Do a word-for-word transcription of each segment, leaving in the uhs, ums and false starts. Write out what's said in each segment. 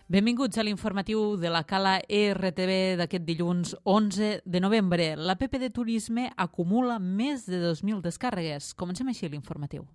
Benvinguts a l'informatiu de la Cala E R T V d'aquest dilluns onze de novembre. L'app de turisme acumula més de dos mil descàrregues. Comencem així l'informatiu.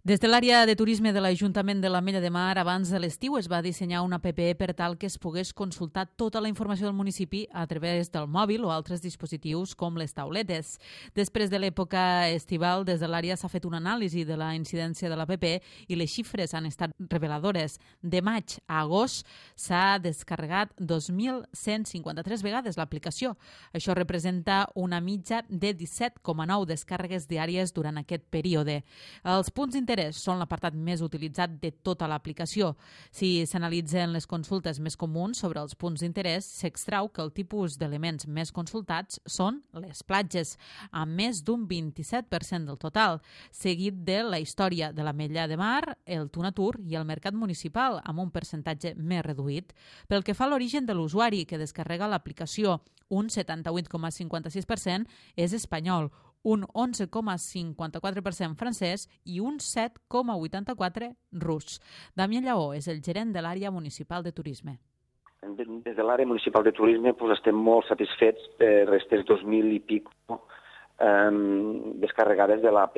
Des de l'àrea de turisme de l'Ajuntament de l'Ametlla de Mar, abans de l'estiu es va dissenyar una app per tal que es pogués consultar tota la informació del municipi a través del mòbil o altres dispositius com les tauletes. Després de l'època estival, des de l'àrea s'ha fet una anàlisi de la incidència de l'app i les xifres han estat reveladores. De maig a agost s'ha descarregat dos mil cent cinquanta-tres vegades l'aplicació. Això representa una mitja de disset coma nou descàrregues diàries durant aquest període. Els punts d'interès són l'apartat més utilitzat de tota l'aplicació. Si s'analitzen les consultes més comuns sobre els punts d'interès, s'extrau que el tipus d'elements més consultats són les platges, amb més d'un vint-i-set per cent del total, seguit de la història de l'Ametlla de Mar, el Tunatur i el mercat municipal, amb un percentatge més reduït. Pel que fa a l'origen de l'usuari que descarrega l'aplicació, un setanta-vuit coma cinquanta-sis per cent és espanyol, un onze coma cinquanta-quatre per cent francès i un set coma vuitanta-quatre per cent rus. Damià Lleó és el gerent de l'àrea municipal de turisme. Des de l'àrea municipal de turisme pues, estem molt satisfets per aquestes dos mil i pic eh, descarregades de l'app.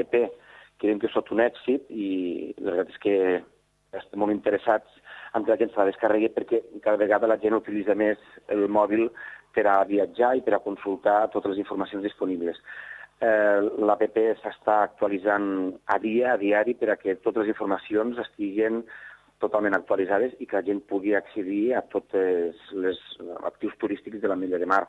Creiem que és tot un èxit i la veritat és que estem molt interessats en que la gent se la descarregui perquè cada vegada la gent utilitza més el mòbil per a viatjar i per a consultar totes les informacions disponibles. Eh, L'app s'està actualitzant a dia, a diari, per a que totes les informacions estiguen totalment actualitzades i que la gent pugui accedir a tots els actius turístics de l'Ametlla de Mar.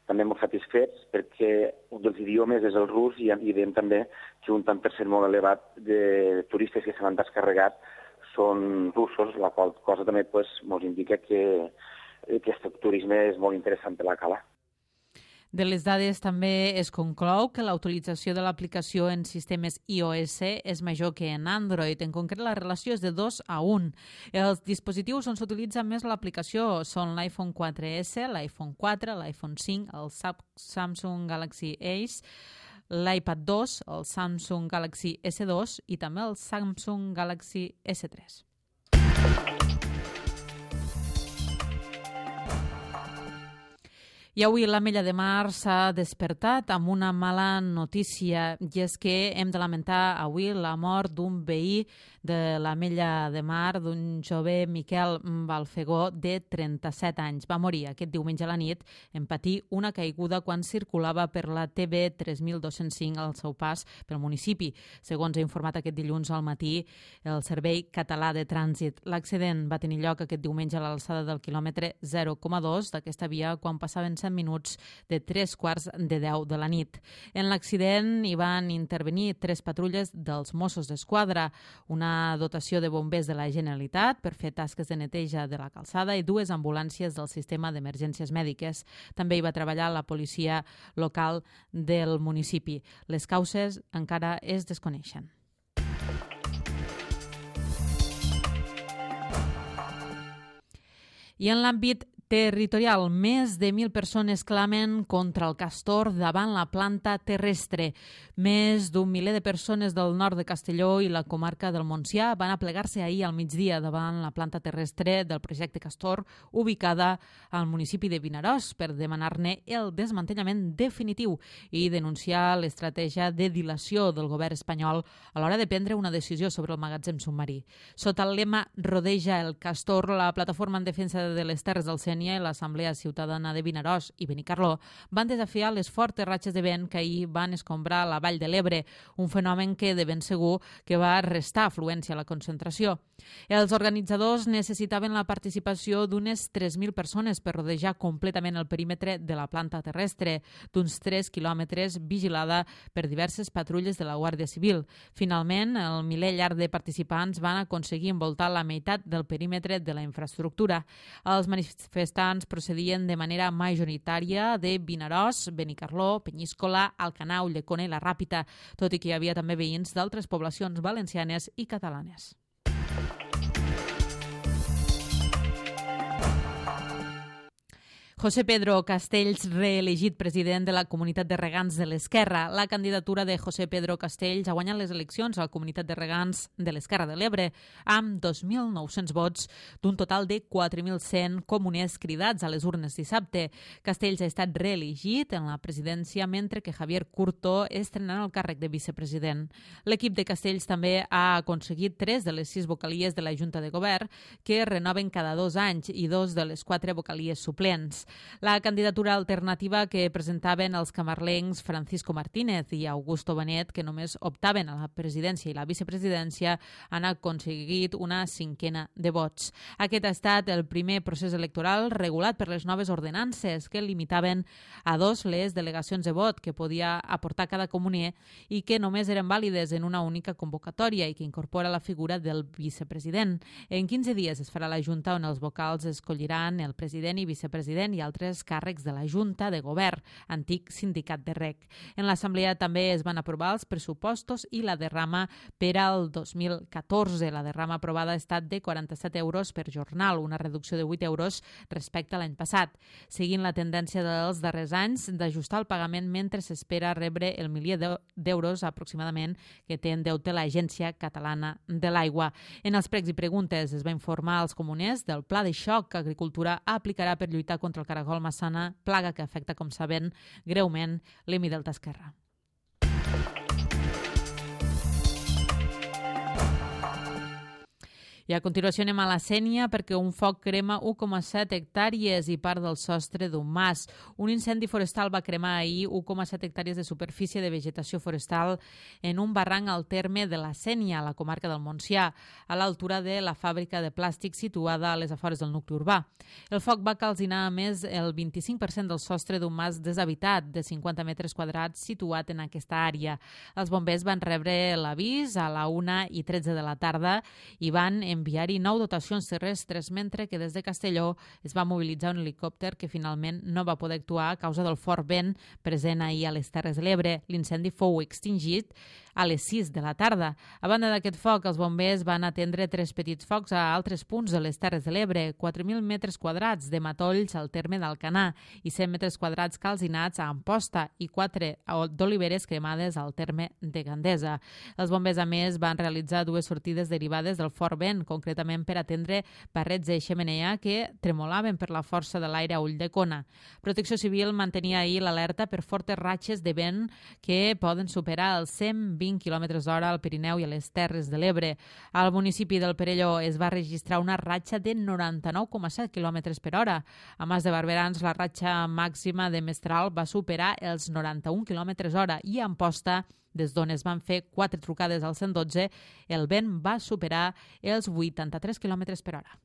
També molt satisfets perquè un dels idiomes és el rus i, i veiem també que un tant per cent molt elevat de turistes que se l'han descarregat són russos, la qual cosa també pues, ens indica que, que aquest turisme és molt interessant per la Cala. De les dades també es conclou que la utilització de l'aplicació en sistemes iOS és major que en Android. En concret, la relació és de dos a un. Els dispositius on s'utilitza més l'aplicació són l'iPhone quatre essa, l'iPhone quatre, l'iPhone cinc, el Samsung Galaxy Ace, l'iPad dos, el Samsung Galaxy essa dos i també el Samsung Galaxy essa tres. I avui l'Ametlla de Mar s'ha despertat amb una mala notícia i és que hem de lamentar avui la mort d'un veí de l'Ametlla de Mar, d'un jove Miquel Balfegó de trenta-set anys. Va morir aquest diumenge a la nit en patir una caiguda quan circulava per la T B tres mil dos-cents cinc al seu pas pel municipi, segons ha informat aquest dilluns al matí el Servei Català de Trànsit. L'accident va tenir lloc aquest diumenge a l'alçada del quilòmetre zero coma dos d'aquesta via quan passaven minuts de tres quarts de deu de la nit. En l'accident hi van intervenir tres patrulles dels Mossos d'Esquadra, una dotació de bombers de la Generalitat per fer tasques de neteja de la calçada i dues ambulàncies del sistema d'emergències mèdiques. També hi va treballar la policia local del municipi. Les causes encara es desconeixen. I en l'àmbit territorial, més de mil persones clamen contra el castor davant la planta terrestre. Més d'un miler de persones del nord de Castelló i la comarca del Montsià van aplegar-se ahir al migdia davant la planta terrestre del projecte Castor, ubicada al municipi de Vinaròs, per demanar-ne el desmantellament definitiu i denunciar l'estratègia de dilació del govern espanyol a l'hora de prendre una decisió sobre el magatzem submarí. Sota el lema Rodeja el Castor, la plataforma en defensa de les terres del Sénia i l'Assemblea Ciutadana de Vinaròs i Benicarló van desafiar les fortes ratxes de vent que ahir van escombrar la Vall de l'Ebre, un fenomen que de ben segur que va restar afluència a la concentració. Els organitzadors necessitaven la participació d'unes tres mil persones per rodejar completament el perímetre de la planta terrestre, d'uns tres quilòmetres vigilada per diverses patrulles de la Guàrdia Civil. Finalment, el miler llarg de participants van aconseguir envoltar la meitat del perímetre de la infraestructura. Els manifestants manifestants procedien de manera majoritària de Vinaròs, Benicarló, Penyíscola, Alcanau, Llecona i la Ràpita, tot i que hi havia també veïns d'altres poblacions valencianes i catalanes. José Pedro Castells, reelegit president de la Comunitat de Regants de l'Esquerra. La candidatura de José Pedro Castells ha guanyat les eleccions a la Comunitat de Regants de l'Esquerra de l'Ebre amb dos mil nou-cents vots d'un total de quatre mil cent comuners cridats a les urnes dissabte. Castells ha estat reelegit en la presidència mentre que Javier Curto estrena el càrrec de vicepresident. L'equip de Castells també ha aconseguit tres de les sis vocalies de la Junta de Govern que renoven cada dos anys i dos de les quatre vocalies suplents. La candidatura alternativa que presentaven els camarlencs Francisco Martínez i Augusto Benet, que només optaven a la presidència i la vicepresidència, han aconseguit una cinquena de vots. Aquest ha estat el primer procés electoral regulat per les noves ordenances que limitaven a dos les delegacions de vot que podia aportar cada comuner i que només eren vàlides en una única convocatòria i que incorpora la figura del vicepresident. En quinze dies es farà la Junta on els vocals escolliran el president i vicepresident i altres càrrecs de la Junta de Govern, antic sindicat de Rec. En l'Assemblea també es van aprovar els pressupostos i la derrama per al dos mil catorze. La derrama aprovada ha estat de quaranta-set euros per jornal, una reducció de vuit euros respecte a l'any passat, seguint la tendència dels darrers anys d'ajustar el pagament mentre s'espera rebre el milió d'euros aproximadament que té en deute l'Agència Catalana de l'Aigua. En els pregs i preguntes es va informar als comuners del pla de xoc que Agricultura aplicarà per lluitar contra el caragol massana, plaga que afecta, com saben, greument l'Emi Delta Esquerra. I a continuació anem a la Sénia perquè un foc crema u coma set hectàrees i part del sostre d'un mas. Un incendi forestal va cremar ahir u coma set hectàrees de superfície de vegetació forestal en un barranc al terme de la Sénia, a la comarca del Montsià, a l'altura de la fàbrica de plàstic situada a les afores del nucli urbà. El foc va calcinar a més el vint-i-cinc per cent del sostre d'un mas deshabitat de cinquanta metres quadrats situat en aquesta àrea. Els bombers van rebre l'avís a la una i tretze de la tarda i van enviar-hi nou dotacions terrestres, mentre que des de Castelló es va mobilitzar un helicòpter que finalment no va poder actuar a causa del fort vent present ahir a les Terres de l'Ebre. L'incendi fou extingit a les sis de la tarda. A banda d'aquest foc, els bombers van atendre tres petits focs a altres punts de les Terres de l'Ebre, quatre mil metres quadrats de matolls al terme d'Alcanar i cent metres quadrats calcinats a Amposta i quatre d'oliveres cremades al terme de Gandesa. Els bombers, a més, van realitzar dues sortides derivades del fort vent, concretament per atendre barrets de xemeneia que tremolaven per la força de l'aire a Ulldecona. Protecció Civil mantenia ahir l'alerta per fortes ratxes de vent que poden superar els cent vint quilòmetres hora al Pirineu i a les Terres de l'Ebre. Al municipi del Perelló es va registrar una ratxa de noranta-nou coma set quilòmetres per hora. A Mas de Barberans, la ratxa màxima de Mestral va superar els noranta-un quilòmetres hora i a Amposta, des d'on es van fer quatre trucades al cent dotze, el vent va superar els vuitanta-tres quilòmetres per hora.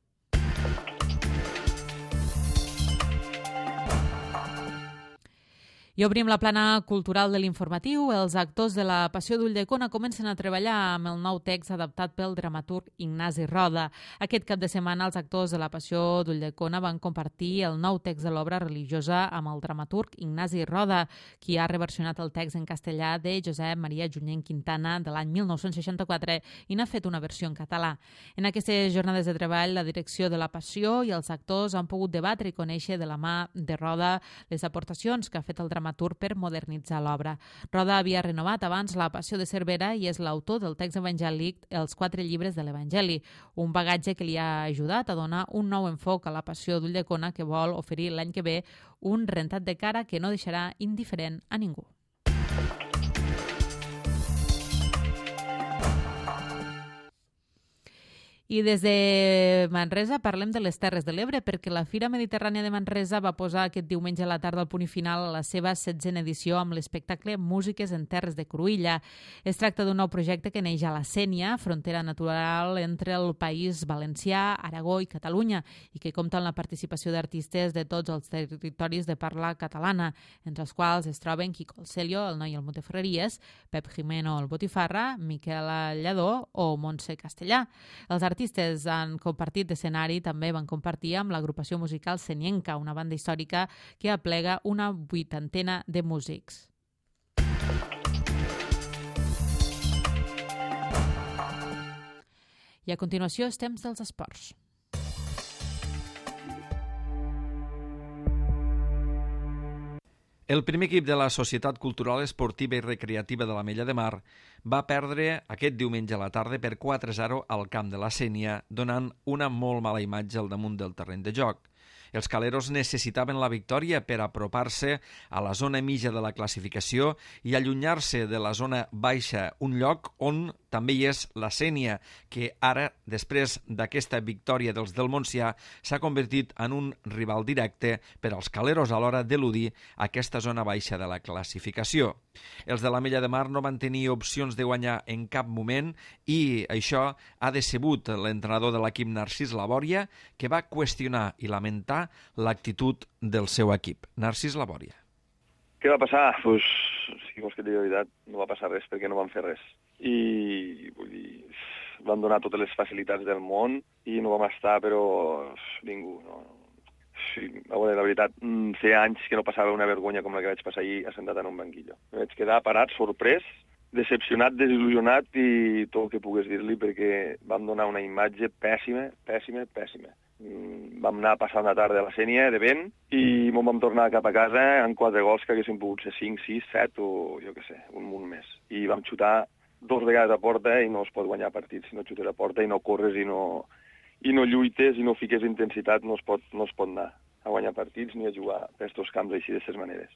I obrim la plana cultural de l'informatiu. Els actors de la Passió d'Ulldecona comencen a treballar amb el nou text adaptat pel dramaturg Ignasi Roda. Aquest cap de setmana els actors de la Passió d'Ulldecona van compartir el nou text de l'obra religiosa amb el dramaturg Ignasi Roda, qui ha reversionat el text en castellà de Josep Maria Junyent Quintana de l'any mil nou-cents seixanta-quatre i n'ha fet una versió en català. En aquestes jornades de treball, la direcció de la Passió i els actors han pogut debatre i conèixer de la mà de Roda les aportacions que ha fet el dramaturg per modernitzar l'obra. Roda havia renovat abans la Passió de Cervera i és l'autor del text evangèlic Els quatre llibres de l'Evangeli, un bagatge que li ha ajudat a donar un nou enfoc a la Passió d'Ulldecona que vol oferir l'any que ve un rentat de cara que no deixarà indiferent a ningú. I des de Manresa parlem de les Terres de l'Ebre perquè la Fira Mediterrània de Manresa va posar aquest diumenge a la tarda al punt i final a la seva setzena edició amb l'espectacle Músiques en Terres de Cruïlla. Es tracta d'un nou projecte que neix a la Sénia, frontera natural entre el País Valencià, Aragó i Catalunya, i que compta amb la participació d'artistes de tots els territoris de parla catalana, entre els quals es troben Quico el Celio, el Noi el Monteferreries, Pep Jimeno el Botifarra, Miquel Lladó o Montse Castellà. Els artistes han compartit escenari, també van compartir amb l'agrupació musical Senienca, una banda històrica que aplega una vuitantena de músics. I a continuació és temps dels esports. El primer equip de la Societat Cultural Esportiva i Recreativa de l'Ametlla de Mar va perdre aquest diumenge a la tarda per quatre a zero al camp de la Sénia, donant una molt mala imatge al damunt del terreny de joc. Els caleros necessitaven la victòria per apropar-se a la zona mitja de la classificació i allunyar-se de la zona baixa, un lloc on també hi és la Sénia, que ara, després d'aquesta victòria dels del Montsià, s'ha convertit en un rival directe per als caleros a l'hora d'eludir aquesta zona baixa de la classificació. Els de l'Ametlla de Mar no van tenir opcions de guanyar en cap moment i això ha decebut l'entrenador de l'equip Narcís Labòria, que va qüestionar i lamentar l'actitud del seu equip. Narcís Labòria. Què va passar? Pues, si vols que et digui la veritat, no va passar res perquè no van fer res. I vull dir, van donar totes les facilitats del món i no vam estar, però ningú. No. Sí, a veure, la veritat, feia anys que no passava una vergonya com la que vaig passar ahir assentat en un banquillo. Me vaig quedar parat, sorprès, decepcionat, desil·lusionat i tot el que pogués dir-li perquè vam donar una imatge pèssima, pèssima, pèssima. Vam anar passant la tarda a la Sénia de vent i m'ho vam tornar cap a casa en quatre gols que haguessin pogut ser cinc, sis, set o jo què sé, un munt més. I vam xutar dos vegades a porta i no es pot guanyar partits si no xutes a porta i no corres i no, i no lluites i no fiques intensitat, no es pot, no es pot anar a guanyar partits ni a jugar per aquests camps així d'aquestes maneres.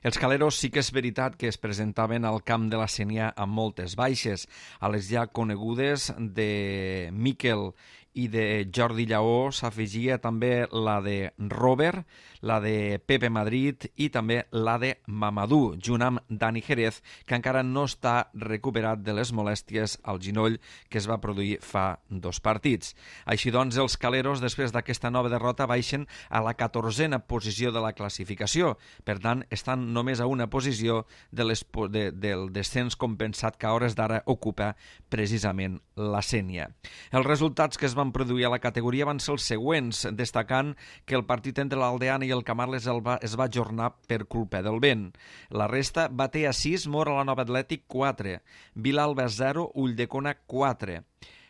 Els caleros sí que és veritat que es presentaven al camp de la Sénia amb moltes baixes. A les ja conegudes de Miquel i de Jordi Lleó s'afegia també la de Robert, la de Pepe Madrid i també la de Mamadou, junt amb Dani Jerez, que encara no està recuperat de les molèsties al ginoll que es va produir fa dos partits. Així doncs, els caleros, després d'aquesta nova derrota, baixen a la catorzena posició de la classificació. Per tant, estan només a una posició de les, de, del descens compensat que a hores d'ara ocupa precisament la Sénia. Els resultats que es van produir a la categoria van ser els següents, destacant que el partit entre l'Aldeana i el Camarles el va, es va ajornar per culpa del vent. La resta, Batea sis, Móra la Nova Atlètic quatre, Vilalba zero, Ulldecona quatre,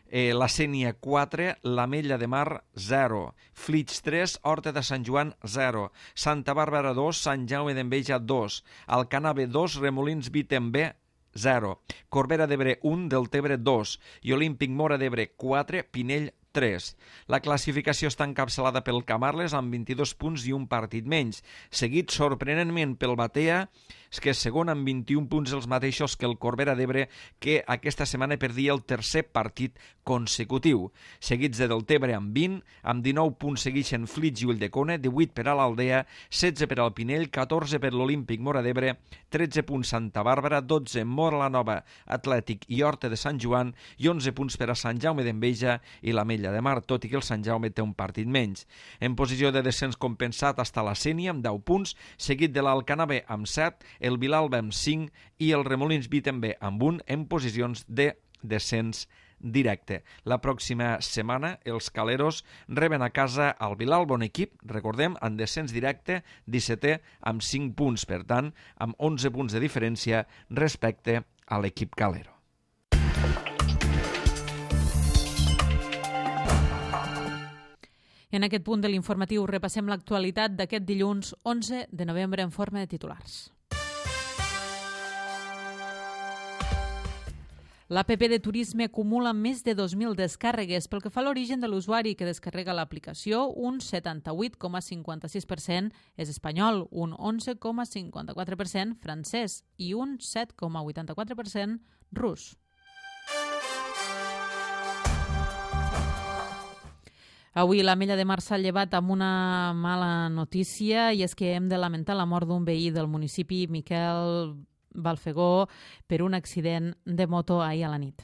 eh, la Sénia quatre, l'Ametlla de Mar zero, Flix tres, Horta de Sant Joan zero, Santa Bàrbara dos, Sant Jaume d'Enveja dos, Alcanave dos, Remolins Vitembe zero, Corbera d'Ebre un, Deltebre dos i Olímpic Móra d'Ebre quatre, Pinell tres. La classificació està encapçalada pel Camarles amb vint-i-dos punts i un partit menys, seguit sorprenentment pel Batea, que és segon amb vint-i-un punts els mateixos que el Corbera d'Ebre, que aquesta setmana perdia el tercer partit consecutiu. Seguits de Deltebre amb vint, amb dinou punts segueixen Flix i Ulldecona, divuit per a l'Aldea, setze per al Pinell, catorze per l'Olímpic Móra d'Ebre, tretze punts Santa Bàrbara, dotze Móra la Nova Atlètic i Horta de Sant Joan i onze punts per a Sant Jaume d'Enveja i l'Ametlla de Mar, tot i que el Sant Jaume té un partit menys. En posició de descens compensat està la Sénia amb deu punts, seguit de l'Alcanave amb set, el Vilalba amb cinc i el Remolins Vitembe amb un en posicions de descens directe. La pròxima setmana els caleros reben a casa al Vilalba, un equip, recordem, en descens directe, dissetè amb cinc punts, per tant, amb onze punts de diferència respecte a l'equip calero. En aquest punt de l'informatiu repassem l'actualitat d'aquest dilluns onze de novembre en forma de titulars. L'App de Turisme acumula més de dos mil descàrregues. Pel que fa a l'origen de l'usuari que descarrega l'aplicació, un setanta-vuit coma cinquanta-sis per cent és espanyol, un onze coma cinquanta-quatre per cent francès i un set coma vuitanta-quatre per cent rus. Avui l'Ametlla de Mar s'ha llevat amb una mala notícia i és que hem de lamentar la mort d'un veí del municipi, Miquel Balfegó, per un accident de moto ahir a la nit.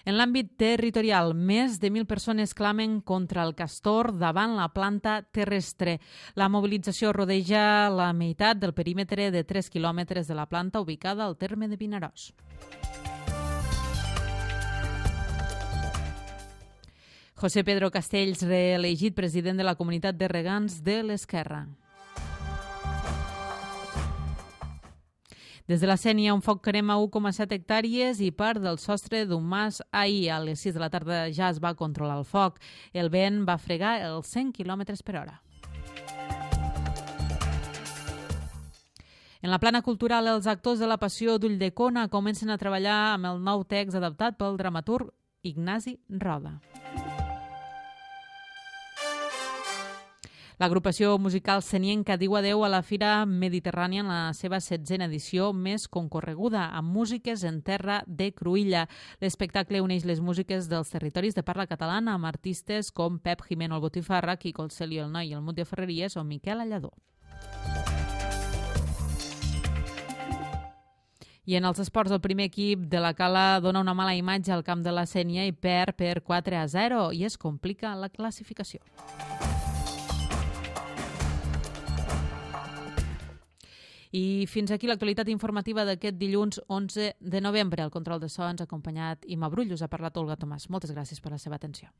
En l'àmbit territorial, més de mil persones clamen contra el castor davant la planta terrestre. La mobilització rodeja la meitat del perímetre de tres quilòmetres de la planta ubicada al terme de Vinaròs. José Pedro Castells, reelegit president de la Comunitat de Regants de l'Esquerra. Des de la Sénia, un foc crema u coma set hectàrees i part del sostre d'un mas ahir. A les sis de la tarda ja es va controlar el foc. El vent va fregar els cent quilòmetres per hora. En la plana cultural, els actors de la Passió d'Ulldecona comencen a treballar amb el nou text adaptat pel dramaturg Ignasi Roda. L'agrupació musical senienca diu adeu a la Fira Mediterrània en la seva setzena edició més concorreguda, amb músiques en terra de Cruïlla. L'espectacle uneix les músiques dels territoris de parla catalana amb artistes com Pep Jimeno el Botifarra, Quico el Celio el Noi i el Mut de Ferreries o Miquel Alladó. I en els esports, el primer equip de la Cala dona una mala imatge al camp de la Sénia i perd per quatre a zero i es complica la classificació. I fins aquí l'actualitat informativa d'aquest dilluns onze de novembre. El control de so ens ha acompanyat Ima Brull. Us ha parlat Olga Tomàs. Moltes gràcies per la seva atenció.